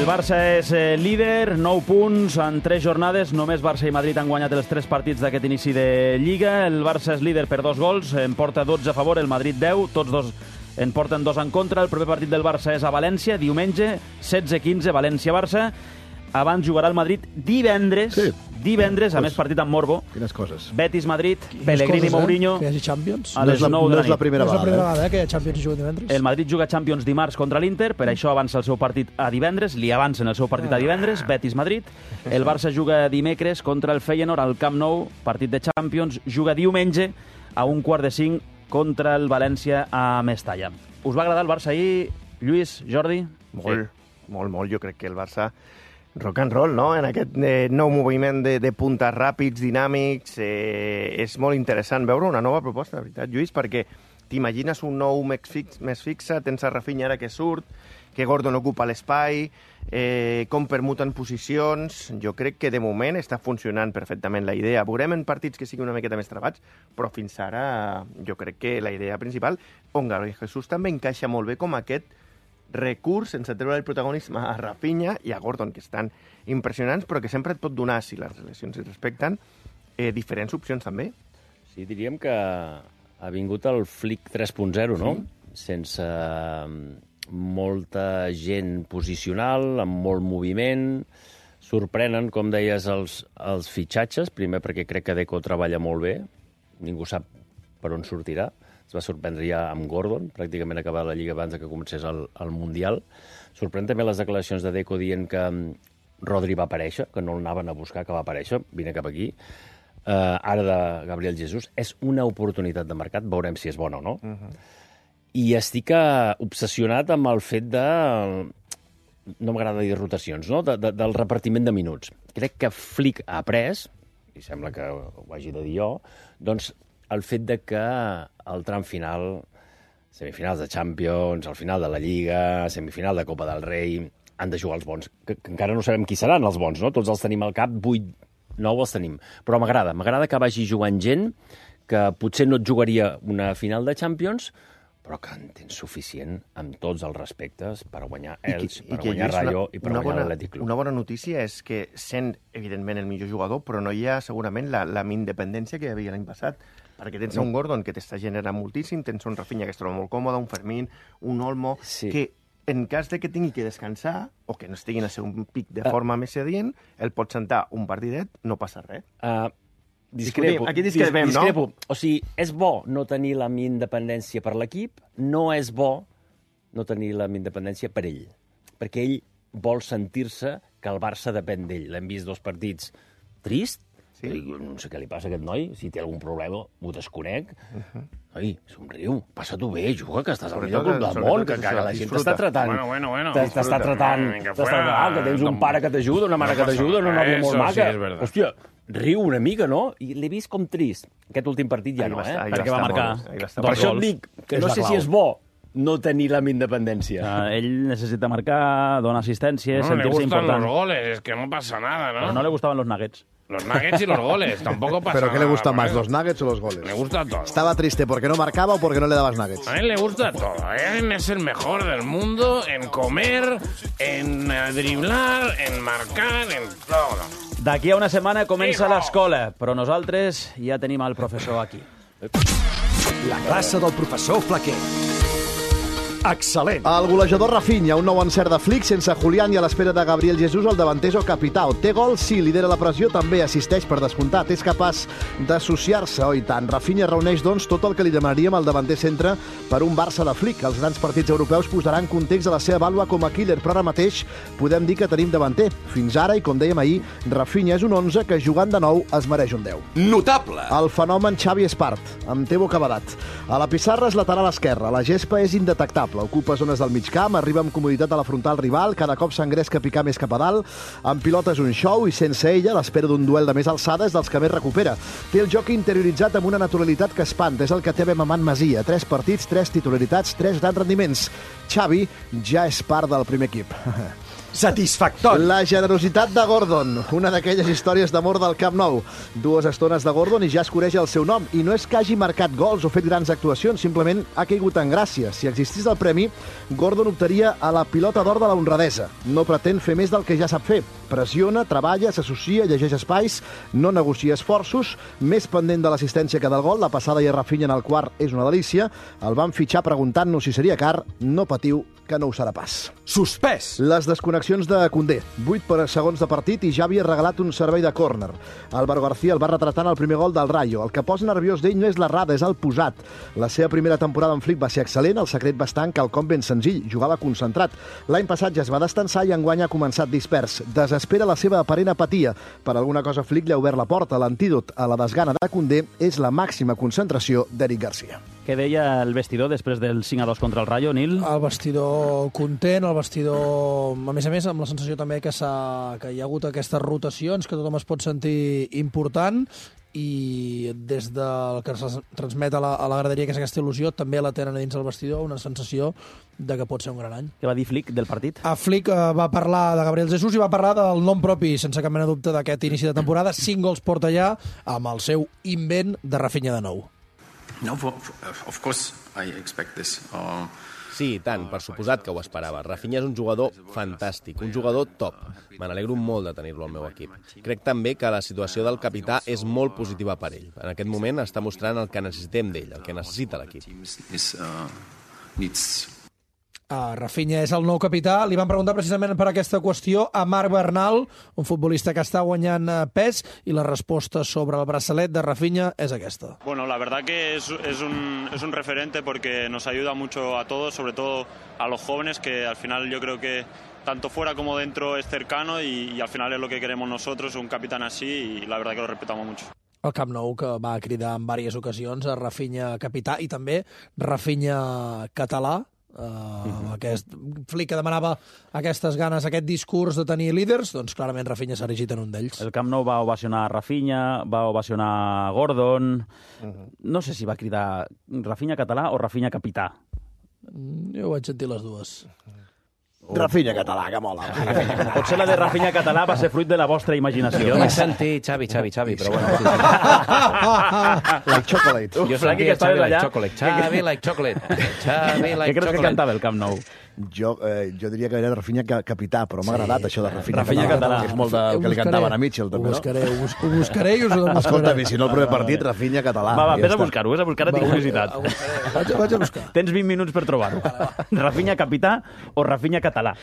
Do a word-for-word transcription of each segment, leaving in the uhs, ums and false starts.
El Barça és eh, líder, nou punts en tres jornades. Només Barça i Madrid han guanyat els tres partits d'aquest inici de Lliga. El Barça és líder per dos gols, en porta dotze a favor, el Madrid deu, tots dos en porten dos en contra. El proper partit del Barça és a València, diumenge, setze quinze, València-Barça. Abans jugarà el Madrid divendres, sí. divendres, a més partit amb Morbo. Quines coses. Betis-Madrid, Pellegrini-Mourinho. Eh? Que hi hagi Champions. A les nou de la nit. No és la primera vegada, vegada, no és la primera vegada eh? que hi ha Champions i juga divendres. El Madrid juga Champions dimarts contra l'Inter, per això avança el seu partit a divendres, li avancen el seu partit a divendres, Betis-Madrid. El Barça juga dimecres contra el Feyenoord al Camp Nou, partit de Champions, juga diumenge a un quart de cinc contra el València a Mestalla. Us va agradar el Barça ahir, Lluís, Jordi? Molt, sí. molt, molt. Jo crec que el Barça rock and roll, no? En aquest eh, nou moviment de, de puntes ràpids, dinàmics, eh, és molt interessant veure una nova proposta, de veritat, Lluís, perquè t'imagines un nou més, fix, més fixe, tens a Rafinha ara que surt, que Gordon ocupa l'espai, eh, com permuten posicions. Jo crec que de moment està funcionant perfectament la idea. Veurem en partits que siguin una miqueta més trebats, però fins ara jo crec que la idea principal, on Gabriel Jesús també encaixa molt bé com aquest recurs sense treure el protagonisme a Rafinha i a Gordon, que estan impressionants, però que sempre et pot donar, si les relacions es respecten, eh, diferents opcions també. Sí, diríem que ha vingut el Flick tres punt zero, no? Sí. Sense molta gent posicional, amb molt moviment. Sorprenen, com deies, els, els fitxatges, primer perquè crec que Deco treballa molt bé, ningú sap per on sortirà. Es va sorprendre ja amb Gordon, pràcticament acabar la Lliga abans que comencés el, el Mundial. Sorprèn també les declaracions de Deco dient que Rodri va aparèixer, que no l'anaven a buscar, que va aparèixer, vine cap aquí. Uh, ara de Gabriel Jesús. És una oportunitat de mercat, veurem si és bona o no. Uh -huh. I estic uh, obsessionat amb el fet de... No m'agrada dir rotacions, no? De, de, del repartiment de minuts. Crec que Flick ha après, i sembla que ho hagi de dir jo, doncs el fet de que al tram final, semifinals de Champions, al final de la Lliga, semifinal de Copa del Rei, han de jugar els bons, que, que encara no sabem qui seran els bons, no? Tots els tenim al cap, vuit, nou els tenim. Però m'agrada, m'agrada que vagi jugant gent que potser no et jugaria una final de Champions, però que en tens suficient amb tots els respectes per guanyar Elx, per guanyar Rayo i per guanyar l'Atlètic Club. Una bona notícia és que sent, evidentment, el millor jugador, però no hi ha segurament la, la independència que hi havia l'any passat, perquè tens un Gordon que t'està generant moltíssim, tens un Rafinha que es troba molt còmode, un Fermín, un Olmo, sí. que en cas de que tingui que descansar o que no estigui en el seu pic de forma uh, més adient, el pot sentar un partidet, no passa res. Uh, discrepo. Aquí discrepem, dis, discrepo. No? O sigui, és bo no tenir la independència per l'equip, no és bo no tenir la independència per ell, perquè ell vol sentir-se que el Barça depèn d'ell. L'hem vist dos partits trist, sí. No sé què li passa a aquest noi, si té algun problema, ho desconec. Uh-huh. Ai, somriu, passa-t'ho bé, juga, que estàs al millor club del món, que, que la gent t'està tratant. Bueno, bueno, bueno. T'està tratant, t'està tratant, que tens un pare que t'ajuda, una mare que t'ajuda, una nòvia molt maca. Hòstia, riu una mica, no? I l'he vist com trist. Aquest últim partit ja no, eh? Perquè va marcar Per això et dic que no sé si és bo no tenir la independència. Uh, ell necessita marcar, donar assistència, no, sentir-se important. No, le gustan los goles, es que no pasa nada, ¿no? Pero no le gustaban los nuggets. Los nuggets y los goles, tampoco pasa nada. ¿Pero qué le gusta más, los nuggets o los goles? Me gusta todo. ¿Estaba triste porque no marcaba o porque no le dabas nuggets? A él le gusta todo. Él es el mejor del mundo en comer, en driblar, en marcar, en todo. D'aquí a una setmana comença l'escola, però nosaltres ja tenim el professor aquí. La classe del professor Flaquer. Excel·lent. El golejador Rafinha, un nou encert de Flick sense Julián i a l'espera de Gabriel Jesús, el davanter o capità. Té gol, sí, lidera la pressió, també assisteix per descomptat. És capaç d'associar-se, oi tant. Rafinha reuneix, doncs, tot el que li demanaríem al davanter centre per un Barça de Flick. Els grans partits europeus posaran context a la seva vàlua com a killer, però ara mateix podem dir que tenim davanter. Fins ara, i com dèiem ahir, Rafinha és un onze que jugant de nou es mereix un deu. Notable. El fenomen Xavi Espart, amb Tebo Cavadat. A la pissarra és lateral esquerra. La gespa és indetectable. Ocupa zones del mig camp, arriba amb comoditat a la frontal rival, cada cop s'engresca a picar més cap a dalt, amb pilota és un show i sense ella l'espera d'un duel de més alçada és dels que més recupera. Té el joc interioritzat amb una naturalitat que espanta, és el que té bé Mamant Masia. Tres partits, tres titularitats, tres grans rendiments. Xavi ja és part del primer equip. satisfactori. La generositat de Gordon, una d'aquelles històries d'amor del Camp Nou. Dues estones de Gordon i ja es coneix el seu nom. I no és que hagi marcat gols o fet grans actuacions, simplement ha caigut en gràcia. Si existís el premi, Gordon optaria a la pilota d'or de la honradesa. No pretén fer més del que ja sap fer. Pressiona, treballa, s'associa, llegeix espais, no negocia esforços, més pendent de l'assistència que del gol. La passada i a Rafinha en el quart és una delícia. El van fitxar preguntant-nos si seria car. No patiu, que no ho serà pas. Suspès. Les desconnexions de Koundé. vuit per segons de partit i ja havia regalat un servei de córner. Álvaro García el va retratant el primer gol del Rayo. El que posa nerviós d'ell no és l'errada, és el posat. La seva primera temporada en Flick va ser excel·lent, el secret va estar en quelcom ben senzill, jugava concentrat. L'any passat ja es va destensar i enguany ha començat dispers. Desespera la seva aparent apatia. Per alguna cosa Flick li ha obert la porta. L'antídot a la desgana de Koundé és la màxima concentració d'Eric Garcia. Què deia el vestidor després del cinc a dos contra el Rayo, Nil? El vestidor content, el vestidor, a més a més, amb la sensació també que, que hi ha hagut aquestes rotacions, que tothom es pot sentir important, i des del que es transmet a la, a la graderia, que és aquesta il·lusió, també la tenen dins el vestidor, una sensació de que pot ser un gran any. Què va dir Flick del partit? A Flick eh, va parlar de Gabriel Jesús i va parlar del nom propi, sense cap mena de dubte, d'aquest inici de temporada. Cinc gols porta ja amb el seu invent de Rafinha de nou. No, of course I expect this. Uh... Sí, i tant, per suposat que ho esperava. Rafinha és un jugador fantàstic, un jugador top. Me n'alegro molt de tenir-lo al meu equip. Crec també que la situació del capità és molt positiva per ell. En aquest moment està mostrant el que necessitem d'ell, el que necessita l'equip. Uh, Rafinha és el nou capità. Li van preguntar precisament per aquesta qüestió a Marc Bernal, un futbolista que està guanyant pes, i la resposta sobre el braçalet de Rafinha és aquesta. Bueno, la verdad que es, es, un, es un referente porque nos ayuda mucho a todos, sobre todo a los jóvenes, que al final yo creo que tanto fuera como dentro es cercano y, y al final es lo que queremos nosotros, un capitán así, y la verdad que lo respetamos mucho. El Camp Nou, que va cridar en diverses ocasions a Rafinha capità i també Rafinha català, Uh, uh-huh. aquest Flick que demanava aquestes ganes, aquest discurs de tenir líders, doncs clarament Rafinha s'ha erigit en un d'ells. El Camp Nou va ovacionar Rafinha, va ovacionar Gordon. Uh-huh. No sé si va cridar Rafinha català o Rafinha capità. Jo vaig sentir les dues. Uh. Rafinha català, que mola. Potser la de Rafinha català va ser fruit de la vostra imaginació. Jo vaig sentir Xavi, Xavi, Xavi, però bueno. Sí, sí. Like chocolate. Jo sentia Xavi like chocolate. Xavi like chocolate. Xavi like Què creus que cantava el Camp Nou? Jo, eh, jo diria que era Rafinha capità, però m'ha agradat sí, això de Rafinha, Rafinha català. català. És molt del que li cantaven a Mitchell, també, ho buscaré, no? Ho, bus ho buscaré i us ho demostraré. Escolta, si no el primer partit, Rafinha català. Va, va, vés a buscar-ho, vés a buscar, tinc curiositat. Vaig, vaig a buscar. Tens vint minuts per trobar-ho. Rafinha capità o Rafinha català?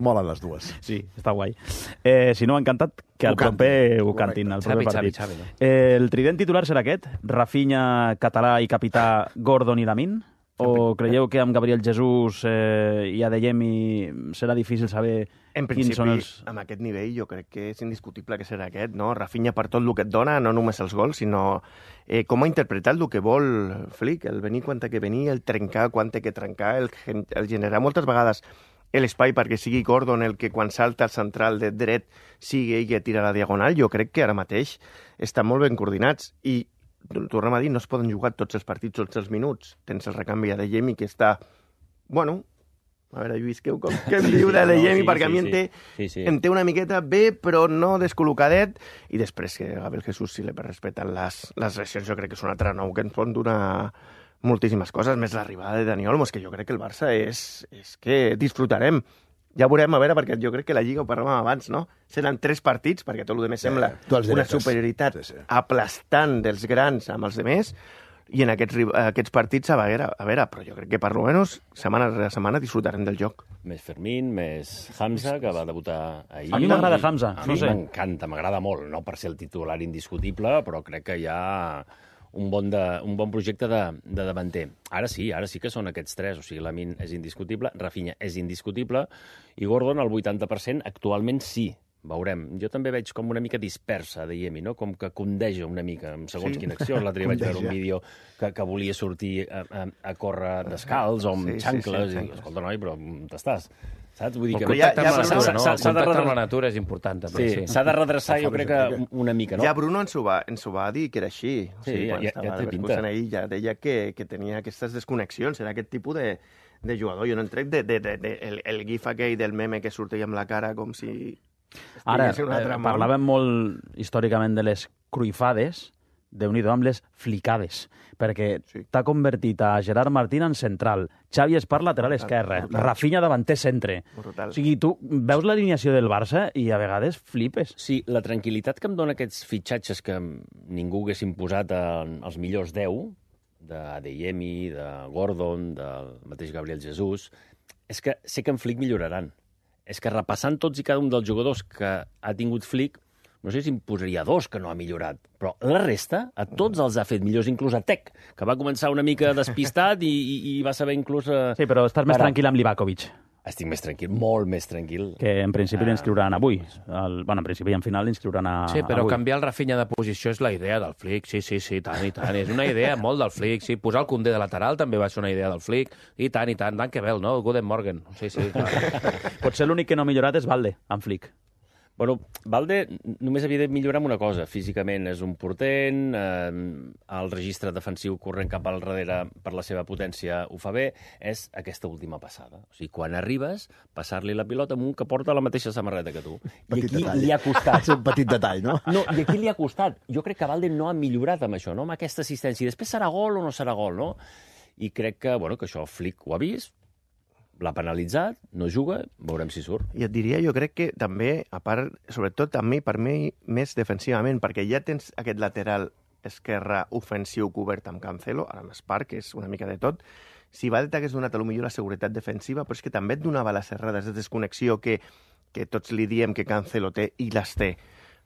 Molen les dues. Sí, està guai. Eh, si no, encantat que el proper ho cantin, el proper partit. Xavi, Xavi, no? eh, el trident titular serà aquest? Rafinha català i capità Gordon i Lamin? O creieu que amb Gabriel Jesús eh, i Adeyemi serà difícil saber en quins són els... amb aquest nivell jo crec que és indiscutible que serà aquest, no? Rafinha per tot el que et dona, no només els gols, sinó eh, com ha interpretat el que vol Flick, el venir quan té que venir, el trencar quan té que trencar, el, el generar moltes vegades l'espai perquè sigui Gordon el que quan salta al central de dret sigui ell que tira la diagonal. Jo crec que ara mateix estan molt ben coordinats i tornem a dir, no es poden jugar tots els partits tots els minuts. Tens el recanvi a Adeyemi que està, bueno, a veure, Lluís, què, què em diu d'Adeyemi? No, sí, perquè sí, a mi sí, em, té, sí, sí. em té una miqueta bé, però no descol·locadet, i després que Gabriel Jesús, si li respeten les, les lesions, jo crec que és un altre nou que ens pot donar moltíssimes coses, més l'arribada de Dani Olmo, és que jo crec que el Barça és, és que disfrutarem. Ja veurem, a veure, perquè jo crec que la Lliga, ho parlàvem abans, no? Seran tres partits, perquè tot el demés sembla sí, una superioritat sí, sí. aplastant dels grans amb els demés, i en aquests, aquests partits, a veure, a veure, però jo crec que per almenys setmana rere setmana disfrutarem del joc. Més Fermín, més Hamza, que va debutar ahir. A mi m'agrada Hamza, a no mi sé. M'encanta, m'agrada molt, no per ser el titular indiscutible, però crec que hi ha un bon, de, un bon projecte de, de davanter. Ara sí, ara sí que són aquests tres, o sigui, Lamin és indiscutible, Rafinha és indiscutible, i Gordon al vuitanta per cent actualment sí. Veurem. Jo també veig com una mica dispersa de Yemi, no? Com que condeja una mica, en segons sí. quina acció. L'altre dia vaig veure un vídeo que, que volia sortir a, a, a córrer descalç o amb sí, xancles. Sí, sí, i, escolta, noi, però t'estàs? Saps? Vull dir que... El contacte amb la natura, no? El contacte amb la natura és important, també. Sí, s'ha de redreçar, jo crec que una mica, no? Ja Bruno ens ho va, ens ho va dir, que era així. Sí, ja, ja té pinta. Ell ja deia que, que tenia aquestes desconnexions, era aquest tipus de, de jugador. Jo no entrec de, de, de, de, el, el gif aquell del meme que surt amb la cara com si... Ara, eh, parlàvem molt històricament de les cruifades, déu-n'hi-do amb les flicades, perquè sí. t'ha convertit a Gerard Martín en central, Xavi Espar lateral esquerre, brutal. Rafinha davanter centre. Brutal. O sigui, tu veus l'alineació del Barça i a vegades flipes. Sí, la tranquil·litat que em dona aquests fitxatges que ningú hagués imposat als millors deu, d'Adeyemi, de Gordon, del mateix Gabriel Jesús, és que sé que en Flick milloraran. És que repassant tots i cada un dels jugadors que ha tingut Flick, no sé si em posaria dos que no ha millorat, però la resta, a tots els ha fet millors, inclús a Tec, que va començar una mica despistat i, i, i va saber inclús... Uh, sí, però estàs més tranquil amb Livakovic. Estic més tranquil, molt més tranquil. Que en principi uh... l'inscriuran avui. El, bueno, en principi i en final l'inscriuran a, sí, però avui. Canviar el Rafinha de posició és la idea del Flick, sí, sí, sí, tant i tant. És una idea molt del Flick, sí. Posar el Koundé de lateral també va ser una idea del Flick, i tant, i tant. Danke Bell, no? Guten Morgen. Sí, sí. Potser l'únic que no ha millorat és Valde, amb Flick. Bueno, Valde només havia de millorar amb una cosa. Físicament és un portent, eh, el registre defensiu corrent cap al darrere per la seva potència ho fa bé, és aquesta última passada. O sigui, quan arribes, passar-li la pilota amb un que porta la mateixa samarreta que tu. I Petit aquí detall. li ha costat. És un petit detall, no? No, i aquí li ha costat. Jo crec que Valde no ha millorat amb això, no? Amb aquesta assistència. I després serà gol o no serà gol, no? I crec que, bueno, que això Flick ho ha vist, l'ha penalitzat, no juga, veurem si surt. I et diria, jo crec que també, a part, sobretot a mi, per mi, més defensivament, perquè ja tens aquest lateral esquerre ofensiu cobert amb Cancelo, ara amb Espar, que és una mica de tot. Si Valde t'hagués donat potser la seguretat defensiva, però és que també et donava les errades de desconnexió que, que tots li diem que Cancelo té i les té.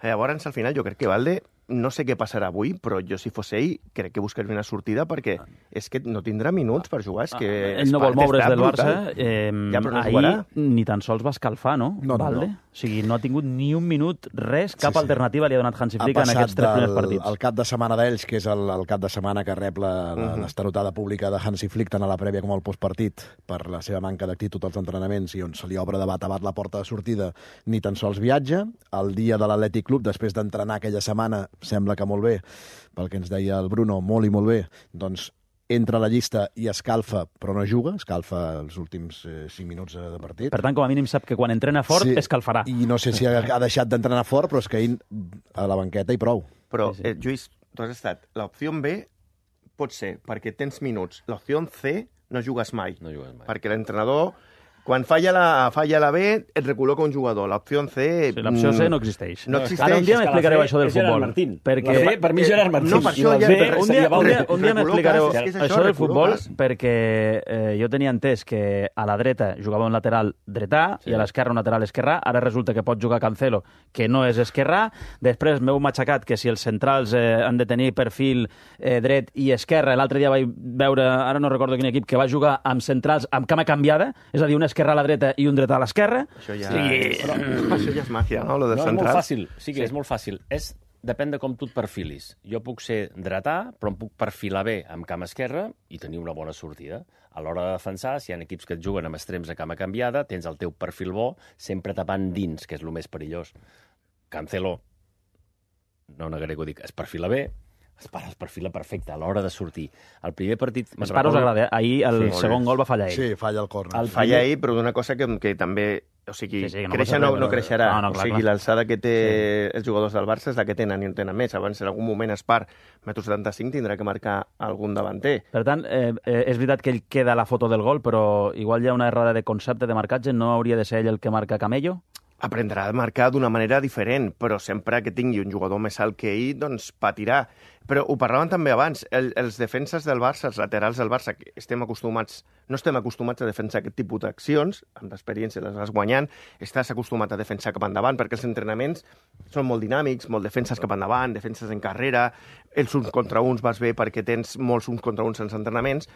Llavors, al final, jo crec que Valde, no sé què passarà avui, però jo, si fos ell, crec que buscaria una sortida perquè és que no tindrà minuts per jugar. És que ell no vol moure's del Barça. Eh, ja, no ahir jugarà. Ni tan sols va escalfar, no? No, no, Valde? no. O sigui, no ha tingut ni un minut, res, cap sí, sí. alternativa li ha donat Hansi Flick en aquests tres primers partits. El cap de setmana d'ells, que és el, el cap de setmana que rep la, la, uh -huh. l'estarotada pública de Hansi Flick, tant a la prèvia com al postpartit, per la seva manca d'actitud als entrenaments i on se li obre de bat a bat la porta de sortida, ni tan sols viatja. El dia de l'Atlètic Club, després d'entrenar aquella setmana, sembla que molt bé, pel que ens deia el Bruno, molt i molt bé, doncs entra a la llista i escalfa, però no juga, escalfa els últims eh, cinc minuts de partit. Per tant, com a mínim sap que quan entrena fort sí, escalfarà. I no sé si ha, ha deixat d'entrenar fort, però és que ell a la banqueta i prou. Però, eh, Lluís, tu has estat... L'opció B pot ser perquè tens minuts. L'opció C no jugues mai. No jugues mai. Perquè l'entrenador... Quan falla la, falla la B, et recol·loca un jugador. L'opció C... Sí, l'opció C no existeix. No existeix. Ara un dia m'explicareu això del futbol. Perquè... La C, per mi, Gerard Martín. No, per això ja... C, un dia, un dia, un dia m'explicareu això, això del futbol, perquè eh, jo tenia entès que a la dreta jugava un lateral dretà sí. i a l'esquerra un lateral esquerrà. Ara resulta que pot jugar Cancelo, que no és esquerrà. Després m'heu matxacat que si els centrals eh, han de tenir perfil eh, dret i esquerra. L'altre dia vaig veure, ara no recordo quin equip, que va jugar amb centrals amb cama canviada, és a dir, una esquerra a la dreta i un dret a l'esquerra. Això ja, sí. Però, això ja és màgia, no? Lo de no, central. És molt fàcil. Sí que sí. És molt fàcil. És, depèn de com tu et perfilis. Jo puc ser dretà, però em puc perfilar bé amb cama esquerra i tenir una bona sortida. A l'hora de defensar, si hi ha equips que et juguen amb extrems a cama canviada, tens el teu perfil bo, sempre tapant dins, que és el més perillós. Cancelo, no negaré que ho dic, es perfila bé, Espar es perfila perfecte a l'hora de sortir. El primer partit... Espar us agrada, eh? Ahir el sí, segon gol va fallar ell. Sí, falla el córner. El falla ell, però d'una cosa que, que també... O sigui, sí, sí, no créixer no, no creixerà. No, no, clar, o sigui, l'alçada que té sí. els jugadors del Barça és la que tenen i no tenen més. Abans, en algun moment, Espar, metro setanta-cinc, tindrà que marcar algun davanter. Per tant, eh, eh, és veritat que ell queda a la foto del gol, però igual hi ha una errada de concepte de marcatge. No hauria de ser ell el que marca Camello? Aprendrà a marcar d'una manera diferent, però sempre que tingui un jugador més alt que ell, doncs patirà. Però ho parlàvem també abans, el, els defenses del Barça, els laterals del Barça, que estem acostumats, no estem acostumats a defensar aquest tipus d'accions, amb l'experiència les vas guanyant, estàs acostumat a defensar cap endavant, perquè els entrenaments són molt dinàmics, molt defenses cap endavant, defenses en carrera, els uns contra uns vas bé perquè tens molts uns contra uns en els entrenaments,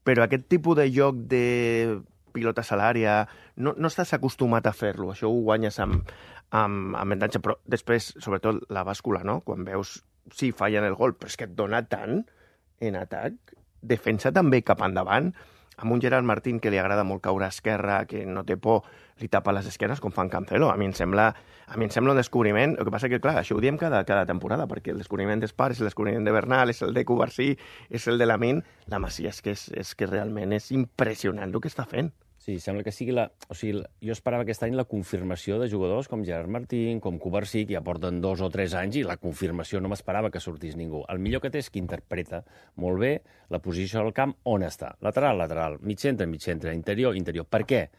però aquest tipus de joc de pilota a l'àrea, no, no estàs acostumat a fer-lo, això ho guanyes amb, amb, amb avantatge, però després, sobretot, la bàscula, no? Quan veus, sí, fallen el gol, però és que et dona tant en atac, defensa també cap endavant, amb un Gerard Martín que li agrada molt caure a esquerra, que no té por, li tapa les esquerres com fan Cancelo. A mi em sembla, a mi em sembla un descobriment. El que passa que, clar, això ho diem cada, cada temporada, perquè el descobriment d'Espar és el descobriment de Bernal, és el de Cubarsí, és el de Lamine. La Masia és que, és, és que realment és impressionant el que està fent. Sí, sembla que sigui la... O sigui, jo esperava aquest any la confirmació de jugadors com Gerard Martín, com Cubarsí, que ja porten dos o tres anys, i la confirmació no m'esperava que sortís ningú. El millor que té és que interpreta molt bé la posició del camp on està. Lateral, lateral, mig centre, mig centre, interior, interior. Per què?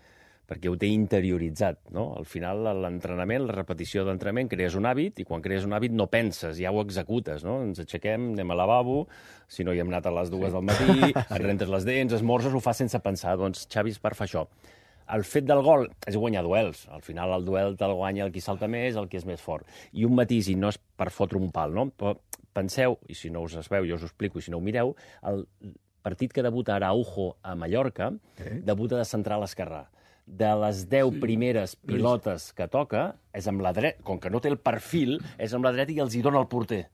Perquè ho té interioritzat, no? Al final, l'entrenament, la repetició d'entrenament, crees un hàbit, i quan crees un hàbit no penses, ja ho executes, no? Ens aixequem, anem al lavabo, si no hi hem anat a les dues sí. del matí, et rentes les dents, esmorzes, ho fas sense pensar. Doncs Xavi Espar fa això. El fet del gol és guanyar duels. Al final, el duel te'l guanya el qui salta més, el qui és més fort. I un matís, i no és per fotre un pal, no? Però penseu, i si no us es veu, jo us ho explico, i si no ho mireu, el partit que debuta Araujo a Mallorca, eh? debuta de central esquerrà. De les deu sí. primeres pilotes que toca, és amb la dreta, com que no té el perfil, és amb la dreta i els hi dona el porter.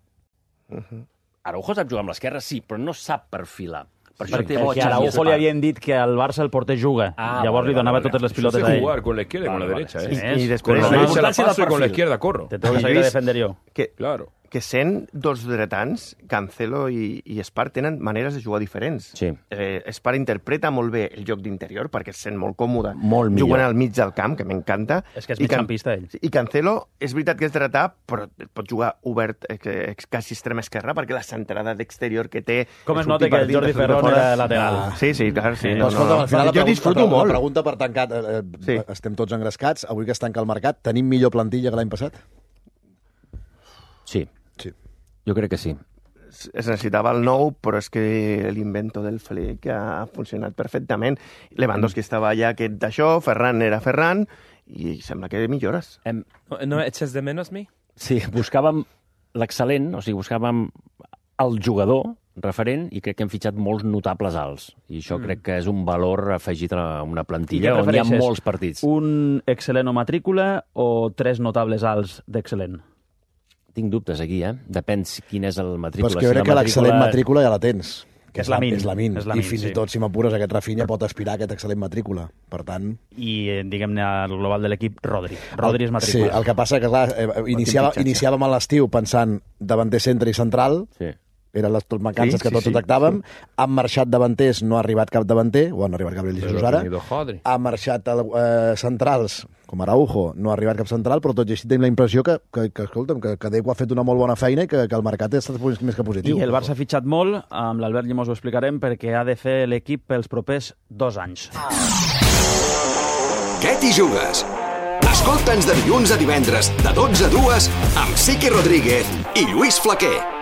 Uh-huh. Araujo sap jugar amb l'esquerra, sí, però no sap perfilar. Per això perquè perquè a Araujo li havien dit que al Barça el porter juga. Ah, Llavors vale, li donava vale, totes les pilotes a ell. Jugar con la izquierda y con la derecha, vale. ¿eh? Sí, y después con la derecha la paso y con la izquierda corro. Te tengo que salir a defender jo. Que, claro. que sent dos dretans, Cancelo i, i Espar tenen maneres de jugar diferents. Sí. Eh, Espar interpreta molt bé el joc d'interior perquè es sent molt còmode molt jugant al mig del camp, que m'encanta. És que és migcampista, ell. I Cancelo, és veritat que és dretà, però pot jugar obert, eh, quasi extrema esquerra, perquè la centrada d'exterior que té... Com es nota que el Jordi Ferrón era lateral. Ah. Sí, sí, clar, sí. No, no, no. Al final, jo disfruto molt. La pregunta per tancat, eh, sí. estem tots engrescats, avui que es tanca el mercat, tenim millor plantilla que l'any passat? Sí. Sí. Jo crec que sí. Es necessitava el nou, però és que l'invento del Flick ha funcionat perfectament. Lewandowski estava allà aquest d'això, Ferran era Ferran, i sembla que millores. Em... No echas de menos mi? Sí, buscàvem l'excel·lent, o sigui, buscàvem el jugador referent, i crec que hem fitxat molts notables alts. I això mm. crec que és un valor afegit a una plantilla on hi ha molts partits. Un excel·lent o matrícula o tres notables alts d'excel·lent? Tinc dubtes aquí, eh? Depèn quin és el matrícula. Però és que jo crec si que l'excel·lent matrícula ja la tens. Que és Lamine. És Lamine. I fins sí. i tot, si m'apures, aquest Rafinha pot aspirar a aquest excel·lent matrícula. Per tant... I, diguem-ne, al global de l'equip, Rodri. Rodri és matrícula. Sí, el que passa que, clar, iniciava, iniciàvem a l'estiu pensant davanter, centre i central. Sí. Eren les mancances sí, que tots sí, detectàvem. Sí. Han marxat davanters, no ha arribat cap davanter, o han arribat Gabriel Jesus ara. Ha marxat eh, centrals, com Araujo, no ha arribat cap central, però tot i així tenim la impressió que, que, que escolta'm, que, que Deco ha fet una molt bona feina i que, que el mercat ha estat més que positiu. I el Barça ha fitxat molt, amb l'Albert Llimós ho explicarem, perquè ha de fer l'equip pels propers dos anys. Què t'hi jugues? Escolta'ns de dilluns a divendres, de dotze a dues, amb Sique Rodríguez i Lluís Flaquer.